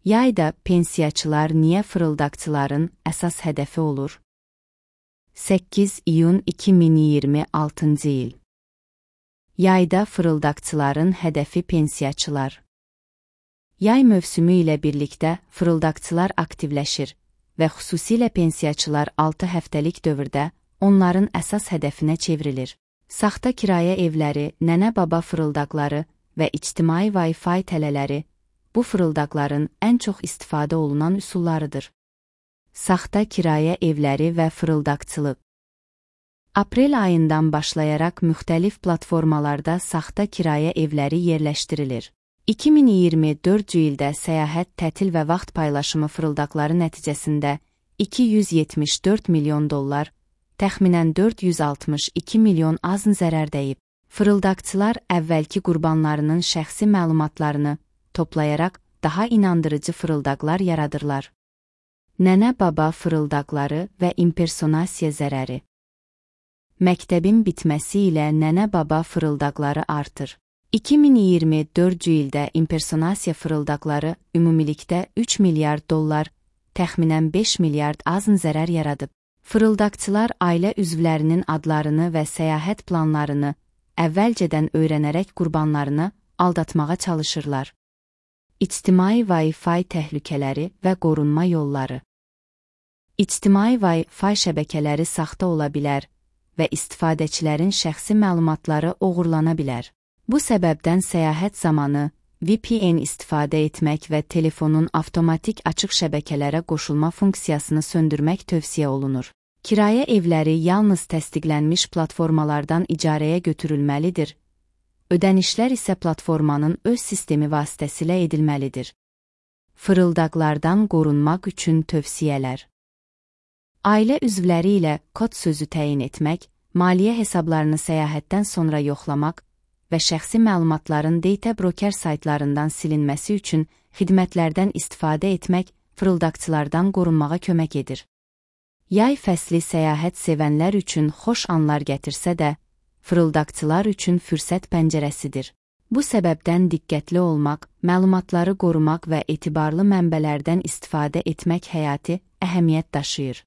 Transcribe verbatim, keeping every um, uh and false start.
Yayda pensiyaçılar niyə fırıldaqçıların əsas hədəfi olur? səkkiz iyun iki min iyirmi altıncı il. Yayda fırıldaqçıların hədəfi pensiyaçılar. Yay mövsümü ilə birlikdə fırıldaqçılar aktivləşir və xüsusilə pensiyaçılar altı həftəlik dövrdə onların əsas hədəfinə çevrilir. Saxta kirayə evləri, nənə-baba fırıldaqları və ictimai Wi-Fi tələləri bu fırıldaqların ən çox istifadə olunan üsullarıdır. Saxta kirayə evləri və fırıldaqçılıq. Aprel ayından başlayaraq müxtəlif platformalarda saxta kirayə evləri yerləşdirilir. iki min iyirmi dördüncü ildə səyahət, tətil və vaxt paylaşımı fırıldaqları nəticəsində iki yüz yetmiş dörd milyon dollar, təxminən dörd yüz altmış iki milyon azn zərər dəyib. Fırıldaqçılar əvvəlki qurbanlarının şəxsi məlumatlarını toplayaraq daha inandırıcı fırıldaqlar yaradırlar. Nənə-baba fırıldaqları və impersonasiya zərəri. Məktəbin bitməsi ilə nənə-baba fırıldaqları artır. iki min iyirmi dördüncü ildə impersonasiya fırıldaqları ümumilikdə üç milyard dollar, təxminən beş milyard azn zərər yaradıb. Fırıldaqçılar ailə üzvlərinin adlarını və səyahət planlarını əvvəlcədən öyrənərək qurbanlarını aldatmağa çalışırlar. İctimai Wi-Fi təhlükələri və qorunma yolları. İctimai Wi-Fi şəbəkələri saxta ola bilər və istifadəçilərin şəxsi məlumatları oğurlana bilər. Bu səbəbdən səyahət zamanı V P N istifadə etmək və telefonun avtomatik açıq şəbəkələrə qoşulma funksiyasını söndürmək tövsiyə olunur. Kirayə evləri yalnız təsdiqlənmiş platformalardan icarəyə götürülməlidir. Ödənişlər isə platformanın öz sistemi vasitəsilə edilməlidir. Fırıldaqlardan qorunmaq üçün tövsiyələr. Ailə üzvləri ilə kod sözü təyin etmək, maliyyə hesablarını səyahətdən sonra yoxlamaq və şəxsi məlumatların data broker saytlarından silinməsi üçün xidmətlərdən istifadə etmək fırıldaqçılardan qorunmağa kömək edir. Yay fəsli səyahət sevənlər üçün xoş anlar gətirsə də, fırıldaqçılar üçün fürsət pəncərəsidir. Bu səbəbdən diqqətli olmaq, məlumatları qorumaq və etibarlı mənbələrdən istifadə etmək həyati əhəmiyyət daşıyır.